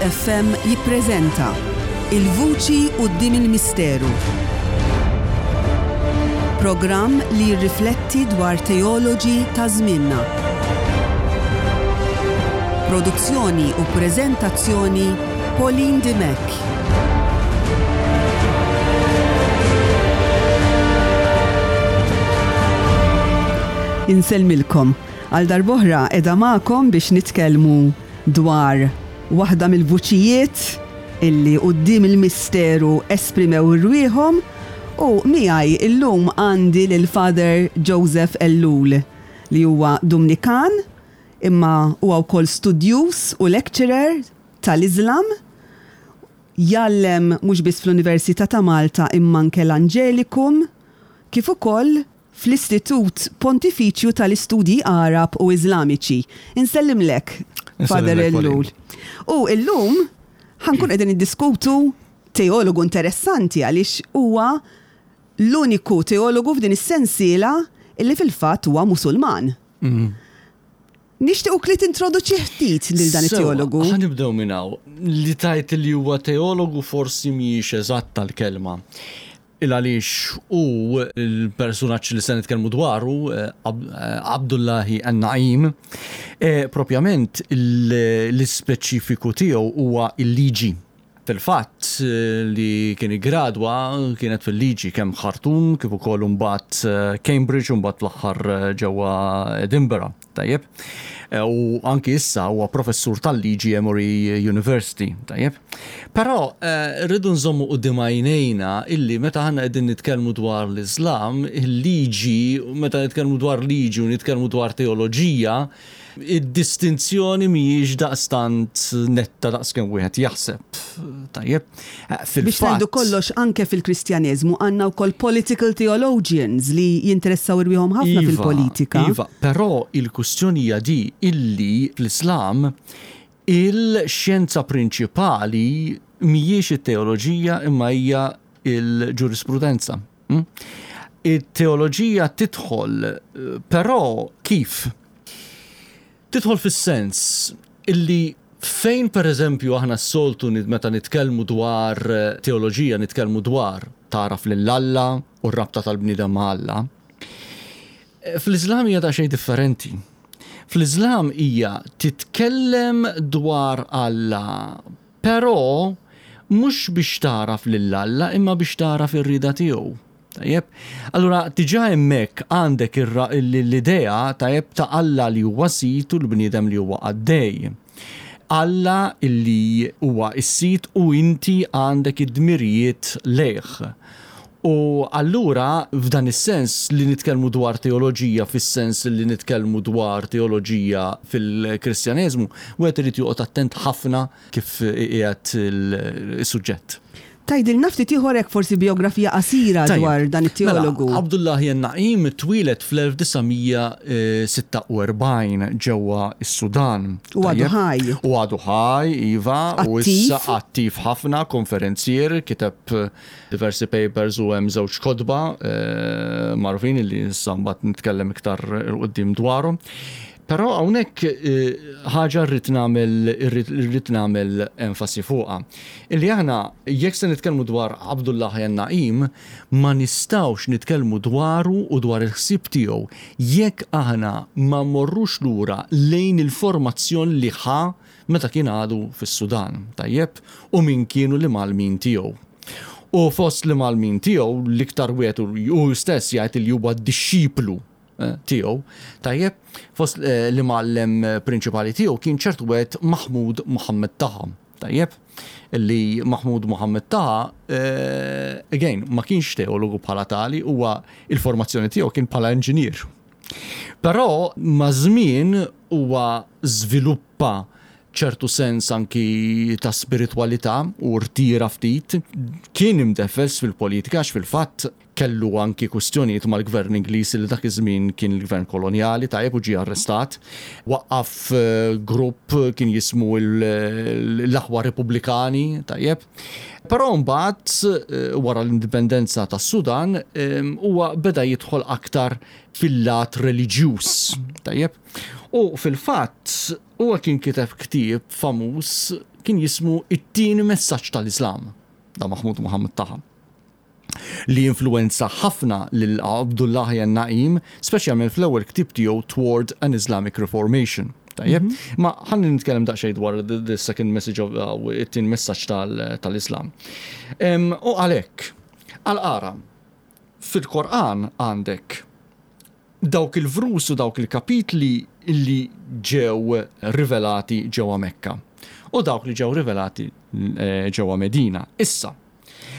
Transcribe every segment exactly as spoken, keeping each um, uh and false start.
F M jippreżenta Il-Vuċi Quddiem il-Misteru. Programm li jirrifletti dwar teoloġi ta' żmienna. Produzzjoni u preżentazzjoni, Pauline Dimech. Insellmilkom. Għal darb'oħra qiegħda magħkom biex nitkellmu dwar waħda mill-vuċijiet illi quddiem il-misteru esprimew rwieħhom u miegħi illum għandi lil Father Joseph Ellul, li huwa Dominikan imma huwa wkoll studjuż u lecturer tal-Islam, jgħallem mhux biss fl-Università ta' Malta imma anke l-Angelicum, kif ukoll fl-Istitut Pontifiċju tal-Istudji Arab u Iżlamiċi. Insellimlek, Father Ellul. U illum ħa nkun qegħdin niddiskutu teologu interessanti, għaliex huwa l-uniku teologu f'din is-sensiela illi fil-fatt huwa Musulman. Mm. Nixtiequk li tintroduċi ftit lil dan it-teologu. Ħa nibdew minn hawn. Li tgħid li huwa teologu forsi mhijiex eżatta l-kelma. Il għaliex u l-personaġġ li se nitkellmu dwaru, eh, eh, Abdullahi An-Na'im, eh, propjament l-ispeċifiku tiegħu huwa il-liġi. Fil-fatt li kien gradwa kienet fil-liġi kemm Khartoum kif ukoll imbagħad Cambridge u mbagħad fl-aħħar ġewwa Edinburgh. Tajjeb. U anki issa huwa professur tal-liġi Emory University. Tajjeb. Però rridu nżommu quddiem għajnejna illi meta aħna qegħdin nitkellmu dwar l-Islam, il-liġi, meta nitkellmu dwar liġi u nitkellmu dwar teoloġija, id-distinzjoni mhijiex daqstant netta daqs kemm wieħed jaħseb. Tajjeb. Biex ngħidu kollox, anke fil-Kristjaneżmu għandna wkoll political theologians li jinteressaw irwieħhom ħafna Iva, fil-politika. Iva, però il-kwistjoni hija di illi fl-Islam il-xjenza prinċipali mhijiex it-teoloġija imma hija il-ġurisprudenza. Hm? Il-teoloġija tidħol, però kif? Tidħol fis-sens illi fejn, per eżempju, aħna s-soltu meta nitkellmu dwar eh, teoloġija nitkellmu dwar tagħraf lil Alla u r-rabta tal-bniedem ma' Alla. Eh, Fl-Iżlam hija xejn differenti. Fl-Iżlam hija titkellem dwar Alla, però mhux biex tagħraf lil Alla imma biex tagħraf ir-rieda tiegħu. Tajjeb. Allura diġà hemmhekk għandek l-idea, tajjeb, ta' Alla li huwa sid u l-bniedem li huwa qaddej. Alla illi huwa s-sid u inti għandek id-dmirijiet lejh. U allura f'dan is-sens li nitkellmu dwar teoloġija fis-sens li nitkellmu dwar teoloġija fil-Kristjaneżmu, wieħed irid joqgħod attent ħafna kif qiegħed il-suġġett. Tgħidilna ftit ieħor hekk, forsi biografija qasira dwar dan it-teologu. Mela, Abdullahi Na'im twieled fl-elf disa' mija sitta u erbgħin ġewwa s-Sudan. U għadu ħaj. U għadu ħaj, iva, u issa attiv ħafna, konferenzier, kiteb diversi papers u hemm żewġ kotba eh, magħrufin li issa mbagħad nitkellem iktar 'il quddiem dwarhom. Però hawnhekk eh, ħaġa rrid nagħmel irrid nagħmel enfasi fuqha. Illi aħna jekk se nitkellmu dwar Abdullah Na'im, ma nistgħux nitkellmu dwaru u dwar il-ħsieb tiegħu jekk aħna ma morrux lura lejn il-formazzjoni li ħa meta kien għadu fis-Sudan, tajjeb, u min kienu l-imgħallmin tiegħu. U fost l-imgħallmin tiegħu l-iktar wieħed u stess jgħid li huwa dixxiplu eh, tiegħu, tajjeb, fost eh, l-imgħallem prinċipali tiegħu kien ċertu wieħed Mahmud Muhammad Taha, tajjeb, li Mahmud Muhammad Taha, eh, again, ma kienx teologu bħala tali, huwa il-formazzjoni tiegħu kien bħala inġinier. Però ma' żmien huwa żviluppa ċertu sens anki ta' spiritualità u rtira ftit, kien imdeffes fil-politika għax fil-fatt kellu anki kwistjonijiet mal-gvern Ingliż li dak iż-żmien kien il-gvern kolonjali, tajjeb, u ġie arrestat. Waqqaf eh, grupp kien jismu l-Aħwa Repubblikani, tajjeb. Però mbagħad eh, wara l-indipendenza tas-Sudan eh, huwa beda jidħol aktar fil-lat reliġjuż, tajjeb. U fil-fatt Huwa kien kiteb ktieb famuż kien jismu It-tieni messaġġ tal-Islam, da Mahmud Muhammad Taha, li influenza ħafna lil Abdullah Naim, speċjalment fl-ewwel ktieb tiegħu Toward an Islamic Reformation. Tajjeb, ma ħalli nitkellem daqsxejn dwar the, the second message of uh, it-tieni messaġġ tal-Islam. U għalhekk, għal-qara, fil-Koran għandek dawk il-vrus u dawk il-kapitli li ġew rivelati ġewwa Mekka u dawk li ġew rivelati eh, ġewwa Medina. Issa,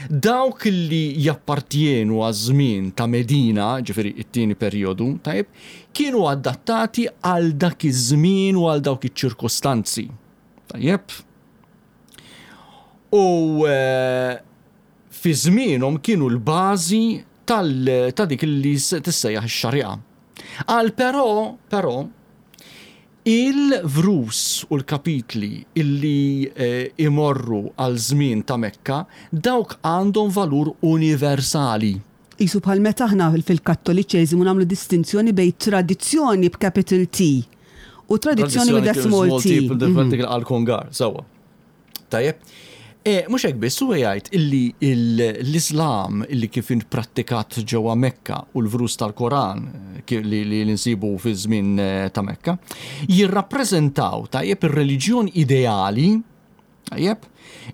dawk li jappartjenu għaż-żmien ta' Medina, ġifieri it-tieni perjodu, tajb, kienu adattati għal dak iż-żmien u għal dawk iċ-ċirkostanzi. Tajjeb? U eh, fi żmienhom kienu l-bażi ta' dik li tissejjaħ ix-xarija. Għal però, però, il-vrus u l-kapitli illi eh, imorru għal żmien ta' Mekka, dawk għandhom valur universali. Isu bħal meta aħna fil-Kattoliċeżimu nagħmlu distinzjoni bejn tradizzjoni b'capital T u tradizzjoni with a small t. Mhm. Għal-kongar, sewwa. Tajjeb. E, mhux hekk biss, huwa jgħid illi l-Islam illi kif prattikat ġewwa Mekka u l-vrus tal-Koran eh, li, li nsibu fi żmien eh, ta' Mekka, jirrappreżentaw tajjeb ir-reliġjon ideali, tajjeb,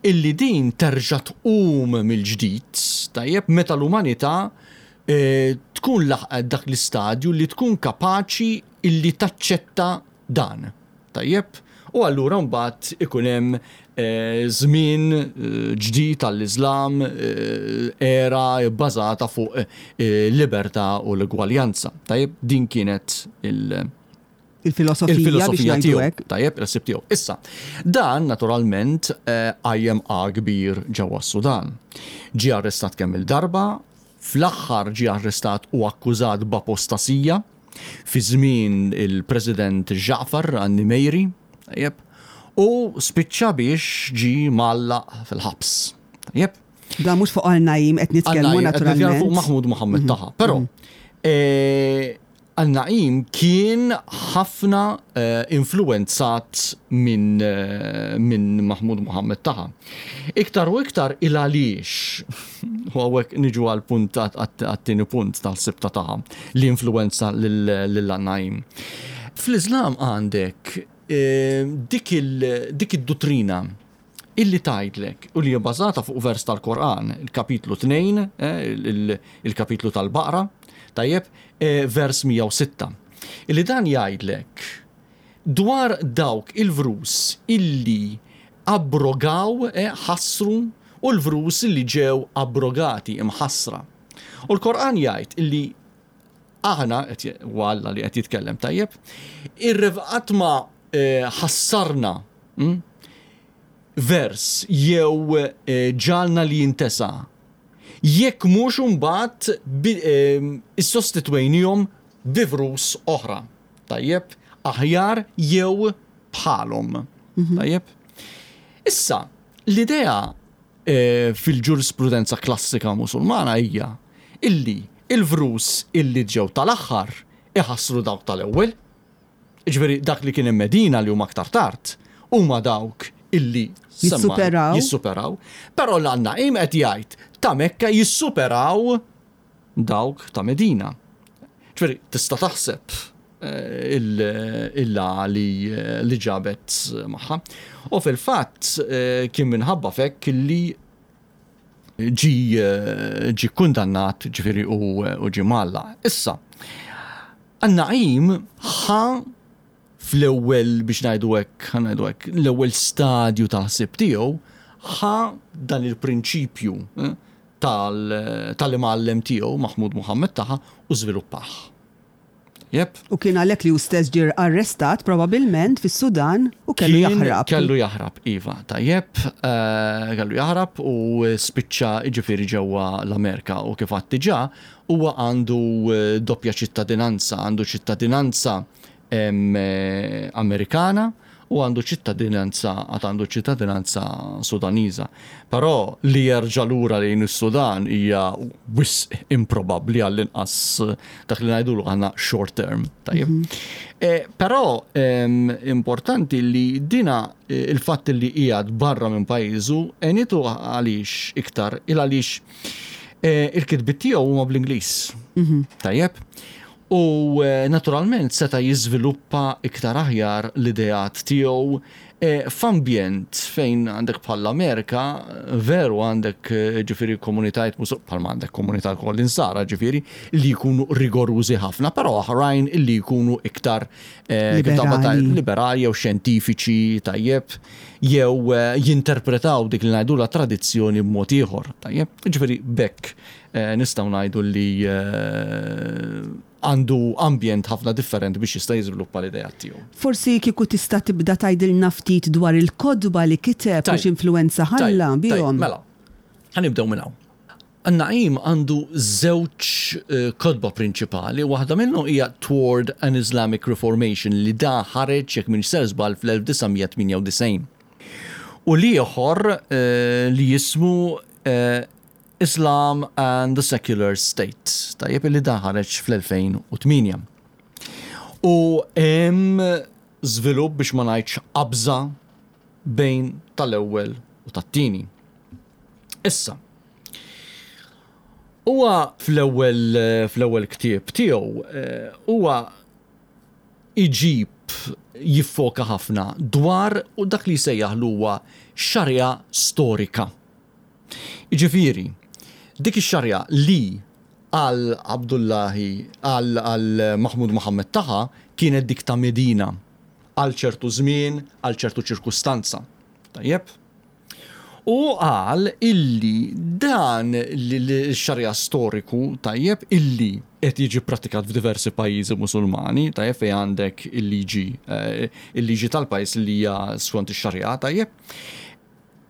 illi din terġa' tqum mill-ġdid, tajjeb, meta l-umanità eh, tkun laħqet dak l-istadju li tkun kapaċi illi taċċetta dan. Tajjeb, u allura mbagħad ikun hemm eh, żmien eh, ġdid tal-Islam, eh, era bbażata fuq libertà u l-egwaljanza. Tajjeb, din kienet il- Il-filosofija biex il-filosofija ngħidu tiegħu. hekk. Tajjeb, il-ħsieb tiegħu. Issa, dan naturalment qajjem kbir ġewwa s-Sudan. Ġie arrestat kemm il-darba, fl-aħħar ġie arrestat u akkużat b'apostasija fi żmien il-President Ja'far an-Nimejri, tajjeb, u spiċċa biex ġi mgħallaq fil-ħabs. Tajjeb. Da mhux fuq għal-Najim qed nitkellmu Għal-Najim, qed nitkellmu fuq naturalment. Mahmud Muhammad Taha. Però, eh, Al-Na'im kien ħafna eh, influenzat minn eh, min Mahmud Muhammad Taha. Iktar u iktar il għaliex, u hawnhekk niġu għal punt għat-tieni punt tal-ħsieb ta' Taha, li influenza lil-Na'im. Fl-Islam għandek eh, dik il- dik id-dottrina illi tgħidlek u li hija bażata fuq vers tal-Koran, il-kapitlu tnejn, eh, il- il-kapitlu tal-Baqra, tajjeb, eh, vers mija u sitta. Illi dan jgħidlek dwar dawk il-vrus illi abrogaw, eh, ħassru, u l-vrus illi ġew abrogati, imħassra. U l-Koran jgħid illi aħna, qed u Alla li qed jitkellem, tajjeb, irrev ma eh, ħassarna mm, vers jew eh, ġalna li jintesa jekk mhux imbagħad bi- eh, issostitwejnihom bi vrus oħra. Tajjeb, aħjar jew bħalhom. Tajjeb. Issa, l-idea eh, fil-ġurisprudenza klassika musulmana hija illi il-vrus illi ġew tal-aħħar iħassru dawk tal-ewwel. Ġifieri dak li kien hemm Medina li huma aktar tard huma dawk illi semma- Jissuperaw. Jissuperaw. Però l-Għannaqim qed jgħid ta' Mekka jissuperaw dawk ta' Medina. Ġifieri tista' taħseb eh, il- illa li, li ġabet magħha. U fil-fatt eh, kien minħabba fekk li ġi eh, ġi kundannat, ġifieri, u, u ġi mgħallaq. Issa, Għan-Na'im ħa fl-ewwel, biex ngħidu hekk, ħa ngħidu hekk, l-ewwel stadju tal-ħsieb tiegħu ħa dan il-prinċipju eh, tal- tal-imgħallem tiegħu Mahmud Muhammad Taha u żviluppah. Jep. U kien għalhekk li hu stess ġie arrestat probabilment fis-Sudan u kellu Kien- jaħrab. Kellu jaħrab, iva, tajjeb, eh, kellu jaħrab u spiċċa ġifieri ġewwa l-Amerika u kif għedt diġà huwa għandu eh, doppja ċittadinanza, għandu ċittadinanza em, eh, Amerikana u U għandu ċittadinanza, għad għandu ċittadinanza Sudaniża. Però li jerġa' lura lejn is-Sudan hija wisq improbabbli, għall-inqas dak li ngħidulu għandna short term. Tajjeb. Mm -hmm. eh, però eh, importanti li dina eh, il-fatt li qiegħed barra minn pajjiżu għenitu. Għaliex iktar? Il għaliex eh, il-kitbiet tiegħu huma bl-Ingliż. Mm -hmm. Tajjeb. U eh, naturalment seta' jiżviluppa iktar aħjar l-ideat tiegħu eh, f'ambjent fejn għandek bħall-Amerika, veru għandek eh, ġifieri komunitajiet musu bħalma għandek komunità koll insara, ġifieri li jkunu rigorużi ħafna, però oħrajn li jkunu iktar liberali, liberali jew xjentifiċi, tajjeb, jew jinterpretaw dik li ngħidu la tradizzjoni b'mod ieħor, tajjeb. Ġifieri bekk nistgħu ngħidu li għandu ambjent ħafna differenti biex jista' jiżviluppa l-idea tiegħu. Forsi kieku tista' tibda tgħidilna ftit dwar il-kotba li kiteb u x'influwenza ħalla bihom. Mela, ħa nibdew minn hawn. Naim għandu żewġ eh, kotba prinċipali, waħda minnu hija Toward an Islamic Reformation li da ħareġ, jekk m'iniex sejjer żball, fl-elf disa' mija tmienja u disgħin. U l-ieħor eh, li jismu eh, Islam and the Secular State, tajjeb, li da ħareġ fl-elfejn u tmienja. U hemm żvilupp, biex ma ngħidx qabża, bejn tal-ewwel u tat-tieni. Issa, huwa fl-ewwel fl-ewwel ktieb tiegħu eh, huwa iġib jiffoka ħafna dwar u dak li jsejjaħ huwa xarja storika. Jiġifieri, dik ix-xarja li għal Abdullahi, għal, għal Mahmud Muhammad Taha kienet dik ta' Medina għal ċertu żmien, għal ċertu ċirkustanza. Tajjeb? U qal illi dan l-xarja storiku, tajjeb, illi qed jiġi pratikat f'diversi pajjiżi Musulmani, tajjeb, fejn għandek il-liġi eh, il-liġi tal-pajjiż li hija skont ix-xarja, tajjeb,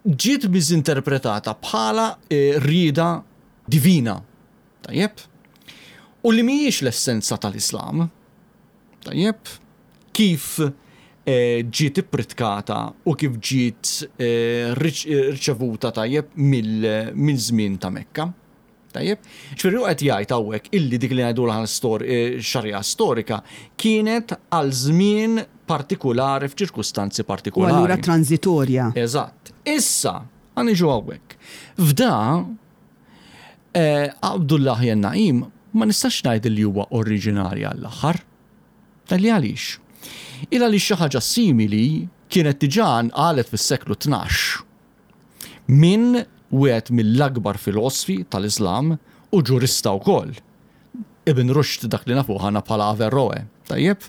ġiet miżinterpretata bħala eh, rieda divina. Tajjeb? U li mhijiex l-essenza tal-Islam. Tajjeb? Kif eh, ġiet ippritkata u kif ġiet eh, riċevuta, tajjeb, mill-żmien ta' Mekka. Tajjeb? Ġifieri qed jgħid hawnhekk illi dik li ngħidu xarja storika kienet għal żmien partikolari f'ċirkustanzi partikolari. U allura transitorja. Eżatt. Issa, ħa niġu hawnhekk. F'da eh, Abdullah Naim ma nistax ngħid li huwa oriġinali għall-aħħar. Talli għaliex? Illa li xi ħaġa simili kienet diġà qalet fis-seklu tnax minn wieħed mill-akbar filosfi tal-Islam u ġurista wkoll. Ibn Rushd, dak li nafu aħna bħala Averroe. Tajjeb?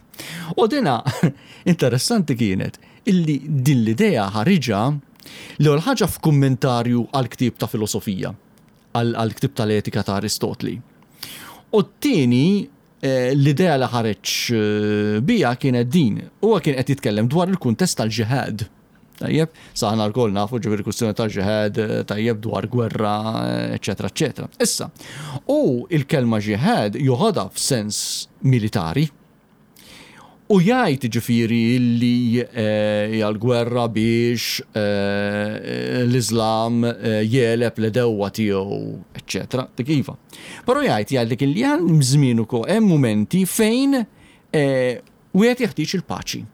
U dina interessanti kienet illi din l-idea ħariġa l-ewwel ħaġa f'kummentarju għal ktieb ta' filosofija, għal ktieb tal-etika ta' Aristotli. U t-tieni eh, l-idea li ħareġ eh, bija kienet din. Huwa kien qed jitkellem dwar il-kuntest tal-ġihad. Tajjeb, aħna lkoll nafu ġifieri kwistjoni tal-ġihad, eh, tajjeb, dwar gwerra, eċetera, eċetera. Issa, u il-kelma ġihad joħodha f'sens militari, u jgħid ġifieri li eh, hija l-gwerra biex eh, l-Islam eh, jegħleb l-għedewwa tiegħu, eċetera. Dik iva. Però jgħid jgħid li hemm żmien ukoll, hemm momenti fejn wieħed jeħtieġ il-paċi.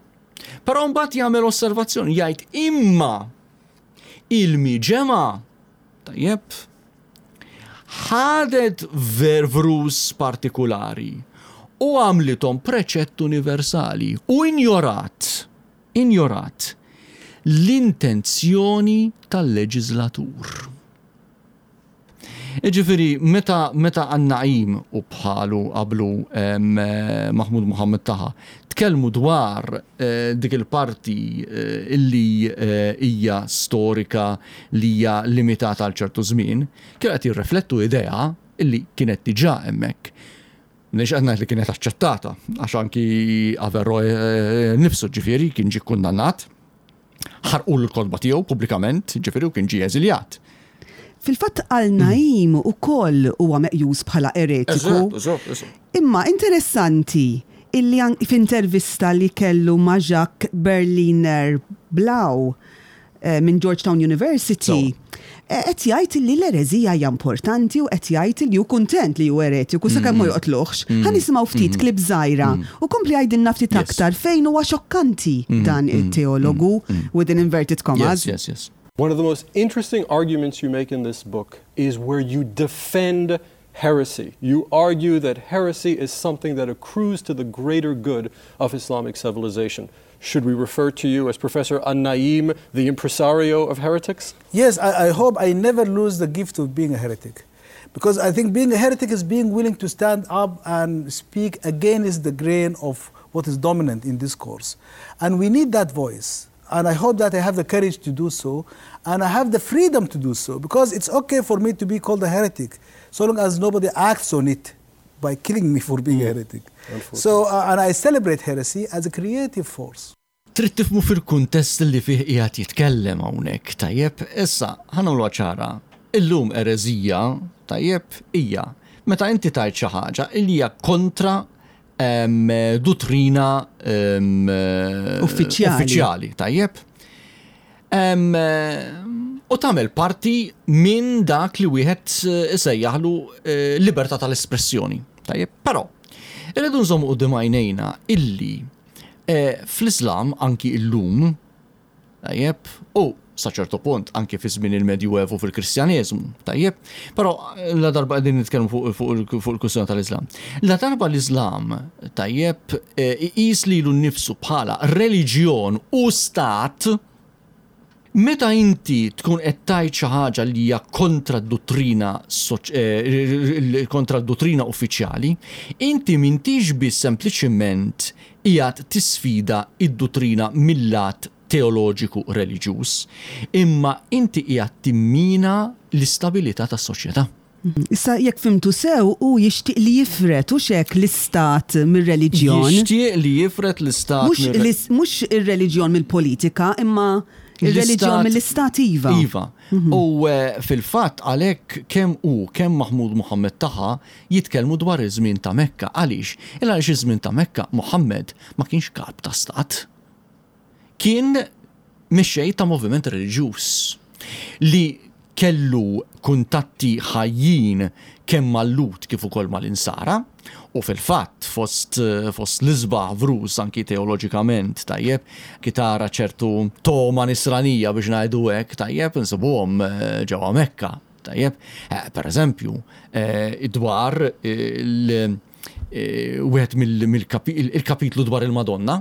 Però mbagħad jagħmel osservazzjoni, jgħid imma il-miġemgħa, tajjeb, ħadet vervrus partikolari u għamlithom preċett universali u injorat, injorat l-intenzjoni tal-leġislatur. Ġifieri, meta, meta An-Na'im u bħalu qablu Mahmud Muhammad Taha tkellmu dwar eh, dik il-parti eh, illi eh, hija storika li hija limitata għal ċertu żmien, kienu qed jirreflettu idea illi kienet diġà hemmhekk. Mhux qed ngħid li kienet aċċettata, għax anki Averroe nifsu ġifieri kien ġie kundannat, ħarqu l-kotba tiegħu pubblikament, ġifieri, u kien ġie eżiljat. Fil-fatt Al-Naim ukoll huwa meqjus bħala eretiku. Imma interessanti Illi f'intervista li kellu ma' Jacques Berliner Blau eh, minn Georgetown University, eh, qed jgħid li l-ereżija hija importanti u qed jgħid li hu kuntent li hu eretiku sakemm ma mm. joqtluhx. Mm. Ħa nisimgħu ftit mm. clip żgħira u kompli għidilna ftit aktar fejn huwa xokkanti dan it-teologu within inverted commas. Yes, yes, yes. One of the most interesting arguments you make in this book is where you defend heresy. You argue that heresy is something that accrues to the greater good of Islamic civilization. Should we refer to you as Professor An-Naim, the impresario of heretics? Yes, I, I hope I never lose the gift of being a heretic. Because I think being a heretic is being willing to stand up and speak against the grain of what is dominant in discourse. And we need that voice. And I hope that I have the courage to do so, and I have the freedom to do so, because it's okay for me to be called a heretic, so long as nobody acts on it by killing me for being a heretic. So, uh, and I celebrate heresy as a creative force. Trid tifhmu fil-kuntest li fih qiegħed jitkellem hawnhekk, tajjeb, issa ħa nagħmlu ċara. Illum ereżija, tajjeb, hija meta inti tgħid xi ħaġa li hija kontra dottrina uffiċjali, uffiċjali, tajjeb. U tagħmel parti minn dak li wieħed isejjaħlu eh, libertà tal-espressjoni. Tajjeb, però irridu nżommu quddiem għajnejna illi eh, fl-Islam anki illum, tajjeb, u sa ċertu punt anki fi żmien il-Medjuevu fil-Kristjaneżmu, tajjeb, però la darba qegħdin nitkellmu fuq il-kwistjoni tal-Islam. La darba l-Islam, tajjeb, eh, iqis lilu nnifsu bħala reliġjon u stat, meta inti tkun qed tgħid xi ħaġa li hija kontra d-dottrina eh, kontra d-dottrina uffiċjali, inti m'intix biss sempliċiment qiegħed tisfida id-dottrina mill-lat teoloġiku reliġjuż, imma inti qiegħed timmina l-istabilità tas-soċjetà. Issa jekk fhimtu sew u jixtieq li jifret u xek l-istat mir-reliġjon. Jixtieq li jifret l-istat. Mhux ir-reliġjon mill-politika, imma ir-reliġjon mill-istat iva. Iva. Mhm. U eh, fil-fatt għalhekk kemm hu kemm Mahmud Muhammad Taha jitkellmu dwar iż-żmien ta' Mekka. Għaliex? Il għaliex iż-żmien ta' Mekka Muhammad ma kienx kap ta' stat. Kien mexxej ta' moviment reliġjuż li kellu kuntatti ħajjin kemm mal-Lhud kif ukoll mal-Insara u fil-fatt fost, fost l-isbaħ vrus anki teoloġikament tajjeb ki tara ċertu toma nisranija biex ngħidu hekk tajjeb insibuhom eh, ġewwa Mekka tajjeb. Eh, per eżempju, eh, dwar il wieħed mill-kapitlu dwar il-Madonna,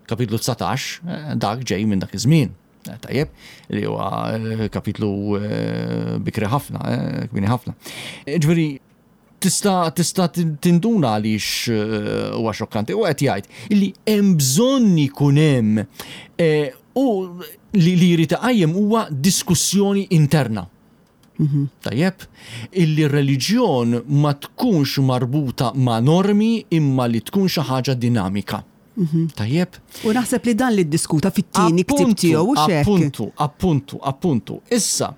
kapitlu dsatax, dak ġej minn dak iż-żmien. Tajjeb, li huwa kapitlu bikri ħafna, kbini ħafna. Ġifieri, tista' tista' tinduna għaliex huwa xokkanti u qed jgħid illi hemm bżonn ikun hemm u li li jrid iqajjem huwa diskussjoni interna. Mhm. Tajjeb, illi r-reliġjon ma tkunx marbuta ma' normi imma li tkun xi ħaġa dinamika. Mhm. Tajjeb. U naħseb li dan li ddiskuta fit-tieni ktieb tiegħu u xek. Appuntu, appuntu, appuntu. Issa,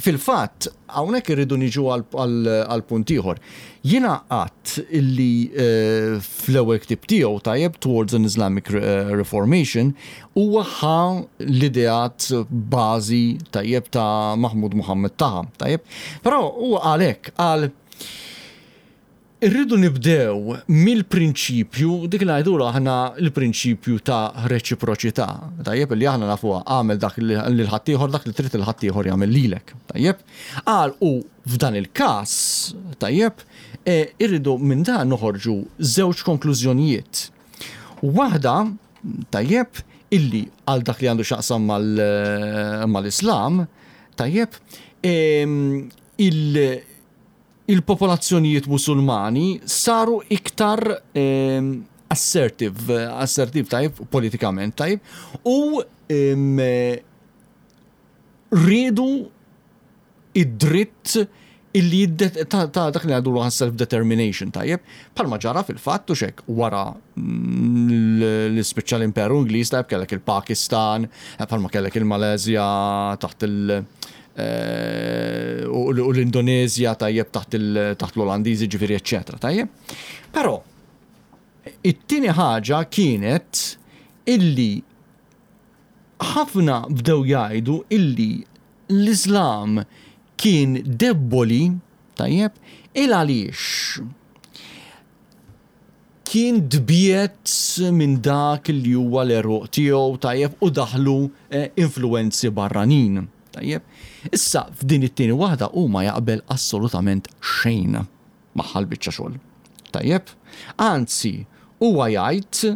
fil-fatt, hawnhekk irridu niġu għal punt ieħor. Jiena qatt illi eh, fl-ewwel ktieb tiegħu tajjeb Towards an Islamic eh, Reformation huwa ħa l-ideat bażi tajjeb ta' Mahmud Muhammad Taha, tajjeb. Però huwa għalhekk qal irridu nibdew mill-prinċipju, dik li ngħidulu aħna l-prinċipju ta' reċiproċità. Tajjeb li aħna nafuha għamel dak li l-ħaddieħor dak li trid il-ħaddieħor jagħmel lilek. Tajjeb. Qal u f'dan il-każ, tajjeb, e, irridu minn dan noħorġu żewġ konklużjonijiet. Waħda, tajjeb, illi għal dak li għandu x'jaqsam mal-Islam, tajjeb, il- il-popolazzjonijiet musulmani saru iktar ehm, assertive, assertive tajb, politikament tajb, u ehm, riedu id-dritt illi ta' dak li għadu self-determination tajjeb, palma ġara fil-fatt u xek wara l-ispiċċa l-Imperu Ingliż tajjeb kellek il-Pakistan, palma kellek il-Malezja taħt il- eh, u l-Indonezja tajjeb taħt l-Olandiżi ġifieri eċċetera tajjeb. Però It-tieni ħaġa kienet illi ħafna bdew jgħidu illi l-Islam kien debboli, tajjeb, il għaliex kien dbiet minn dak li huwa l-eruq tiegħu, tajjeb, u daħlu eh, influenzi barranin. Tajjeb. Issa f'din it-tieni waħda huma jaqbel assolutament xejn magħha l-biċċa xogħol. Tajjeb. Anzi, huwa jgħid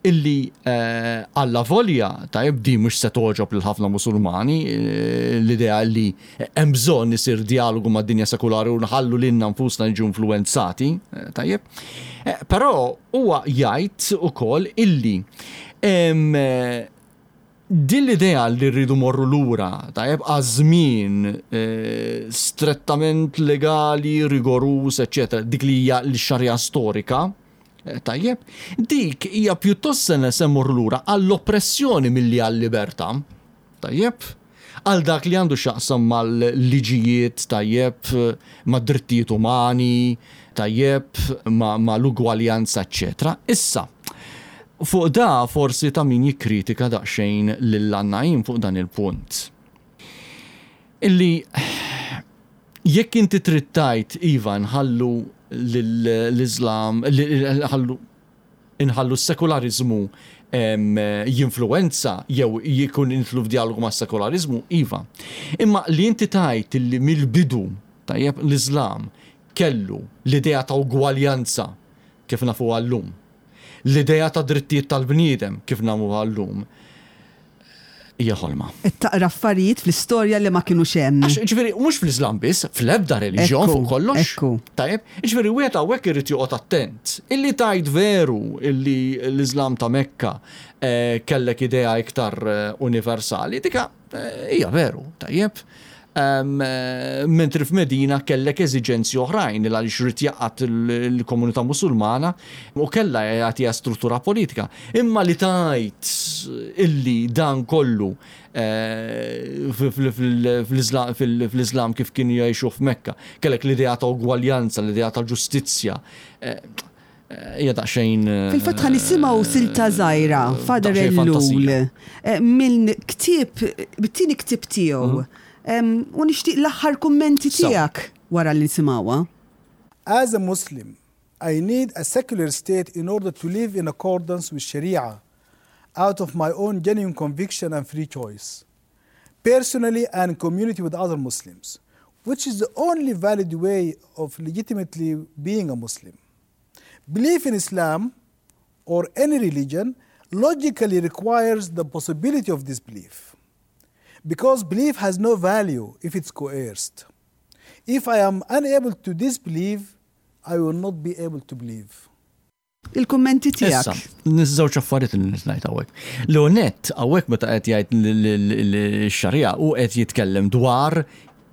illi eh, alla volja, tajjeb, di mhux se togħġob lil ħafna Musulmani, eh, l-idea li hemm bżonn isir dialogu mad-dinja sekulari u nħallu lilna nfusna niġu influenzati, eh, tajjeb. Eh, Però huwa jgħid ukoll illi em, eh, din l-idea li rridu morru lura, tajjeb, għaż-żmien eh, strettament legali, rigorus, eccetera, dik li hija l-xarja storika, eh, tajjeb, dik hija pjuttost se se mmorru lura għall-oppressjoni milli għall-libertà, tajjeb, għal dak li għandu x'jaqsam mal-liġijiet, tajjeb, mad-drittijiet umani, tajjeb, ma, ma l-ugwaljanza, eccetera. Issa, fuq da forsi ta' min jikkritika daqsxejn lil An-Naim fuq dan il-punt. Illi jekk inti trid tgħid iva nħallu l-Islam, nħallu inħallu s-sekularizmu em, jinfluenza jew jkun intlu f'dialogu ma' sekularizmu, iva. Imma li inti tgħid illi mill-bidu, tajjeb, l-Islam kellu l-idea ta' ugwaljanza kif nafu għallum, l-idea ta' drittijiet tal-bniedem kif nafu għallum, hija ħolma. Qed taqra affarijiet fl-istorja li ma kienux hemm. Għax, ġifieri, mhux fl-Islam biss, fl-ebda reliġjon Ekku, fuq kollox. ekku. Tajjeb, ġifieri, wieħed hawnhekk irid joqgħod attent. Illi tajt veru illi l-Islam ta' Mekka eh, kellek idea iktar eh, universali, dika eh, hija veru, tajjeb. Um, eh, mentri f'Medina kellek eżiġenzi oħrajn il għaliex irid jgħaqqad il-komunità musulmana u kella jagħtiha struttura politika. Imma li tajt illi dan kollu eh, fl-Islam kif kienu jgħixu f'Mekka, kellek l-idea ta' ugwaljanza, l-idea ta' ġustizzja. eh, Hija daqsxejn. Fil-fatt ħa nisimgħu silta żgħira, Father daqsxejn Ellul, fantasija. eh, minn ktieb, bit-tieni ktieb tiegħu. Em, U nixtieq l-aħħar kummenti Sew. tiegħek wara li nisimgħuha. As a Muslim, I need a secular state in order to live in accordance with Sharia, out of my own genuine conviction and free choice, personally and in community with other Muslims, which is the only valid way of legitimately being a Muslim. Belief in Islam or any religion logically requires the possibility of disbelief, because belief has no value if it's coerced. If I am unable to disbelieve, I will not be able to believe. Il-kummenti Issa, tiegħek. niż-żewġ affarijiet li ngħid hawnhekk. L-onet hawnhekk meta qed jgħid l-xarija u qed jitkellem dwar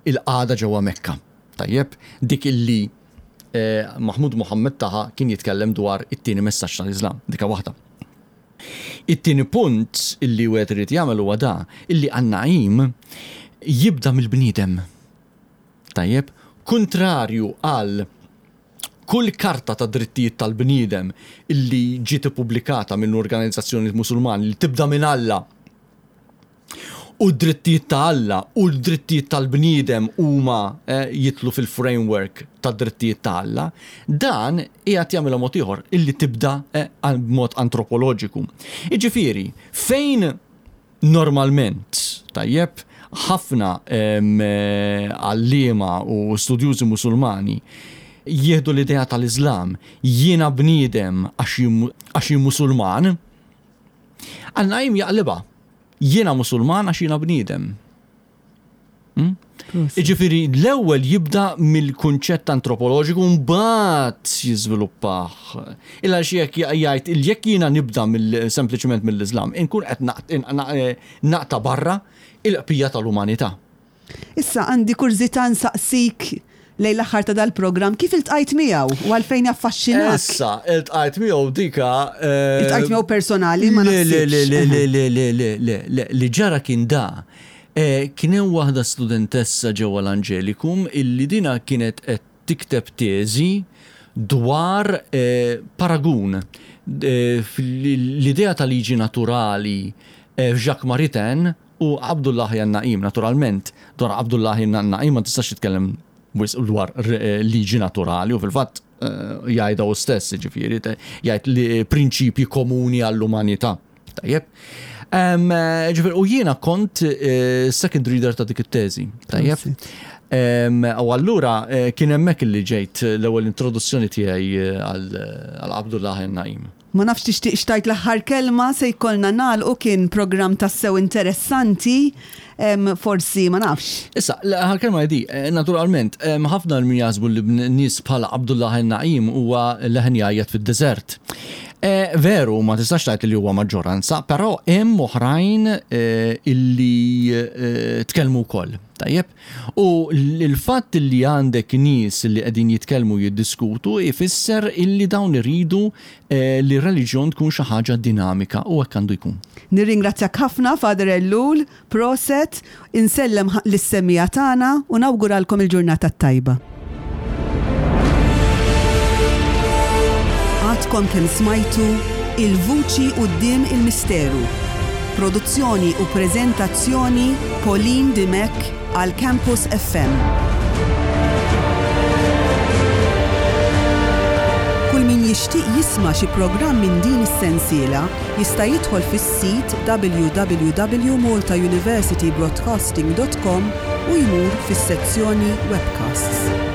il-qagħda ġewwa Mekka. Tajjeb, dik illi eh, Mahmud Muhammad Taha kien jitkellem dwar it-tieni messaġġ tal-Islam, dika waħda. It-tieni punt illi wieħed irid jagħmel huwa da illi An-Naim jibda mill-bniedem. Tajjeb, kontrarju għal kull karta ta' drittijiet tal-bniedem illi ġiet ippubblikata minn organizzazzjoni musulmani li tibda minn Alla u d-drittijiet ta' Alla u d-drittijiet tal-bniedem huma eh, jitlu fil-framework ta' drittijiet ta' Alla, dan qiegħed jagħmilha mod ieħor illi tibda eh, b'mod antropoloġiku. Jiġifieri, fejn normalment, tajjeb, ħafna em, eh, għalliema u studjużi musulmani jieħdu l-idea tal-Islam, jiena bniedem għax jien- għax jien musulman, An-Naim jaqlibha, jiena musulman għax jiena bniedem. Hmm? Iġifieri, l-ewwel jibda mill-kunċett antropoloġiku mbagħad jiżviluppah. Illa xi jekk jgħid il jekk jiena nibda mill sempliċement mill-Islam, inkun qed naqt- in- na- eh, naqta' barra il-qbija tal-umanità. Issa għandi kurżità nsaqsik lejn l-aħħar ta' dal-programm kif iltqajt miegħu u għalfejn affaxxinak? Issa, iltqajt miegħu dika. eh, Iltqajt miegħu personali ma Le, le, le, le, naħsibx. le, le, le, le, le, le, li ġara kien da. Eh, Kien hemm waħda studentessa ġewwa l-Angelicum illi dina kienet qed tikteb teżi dwar eh, paragun eh, l-idea ta' liġi naturali eh, f'Jacques Maritain u Abdullah Naim, naturalment, dwar Abdullah Naim ma tistax titkellem wisq dwar eh, liġi naturali u fil-fatt eh, jgħidha hu stess, ġifieri, jgħid li prinċipji komuni għall-umanità. Tajjeb. Em, eh, Ġifieri, u jiena kont eh, second reader ta' dik it-teżi. Tajjeb. Em, U allura eh, kien hemmhekk li ġejt l-ewwel introduzzjoni tiegħi eh, għal għal Abdullah Naim. Ma nafx tixtieq tgħid l-aħħar kelma, se jkollna nagħlqu. Kien programm tassew interessanti, em, forsi ma nafx. Issa, l-aħħar kelma di, eh, naturalment, em, ħafna min jaħsbu li nies bħala Abdullah Naim huwa leħen jgħajjat fid-deżert. Eh, Veru, ma tistax tgħid li huwa maġġoranza, però hemm oħrajn eh, illi eh, tkellmu wkoll. Tajjeb? U l-fatt li għandek nies li qegħdin jitkellmu, jiddiskutu, ifisser illi dawn iridu eh, li r-reliġjon tkun xi ħaġa dinamika, u hekk għandu jkun. Nirringrazzjak ħafna, Father Ellul, proset, insellem lis-semmiegħa tagħna u nawguralkom il-ġurnata tajba. Għadkom kemm smajtu Il-Vuċi Quddiem il-Misteru. Produzzjoni u prezentazzjoni Pauline Dimech għal Campus F M. Kull min jixtieq jisma' xi programm minn din is-sensiela jista' jidħol fis-sit w w w punt maltauniversitybroadcasting punt com u jmur fis-sezzjoni webcasts.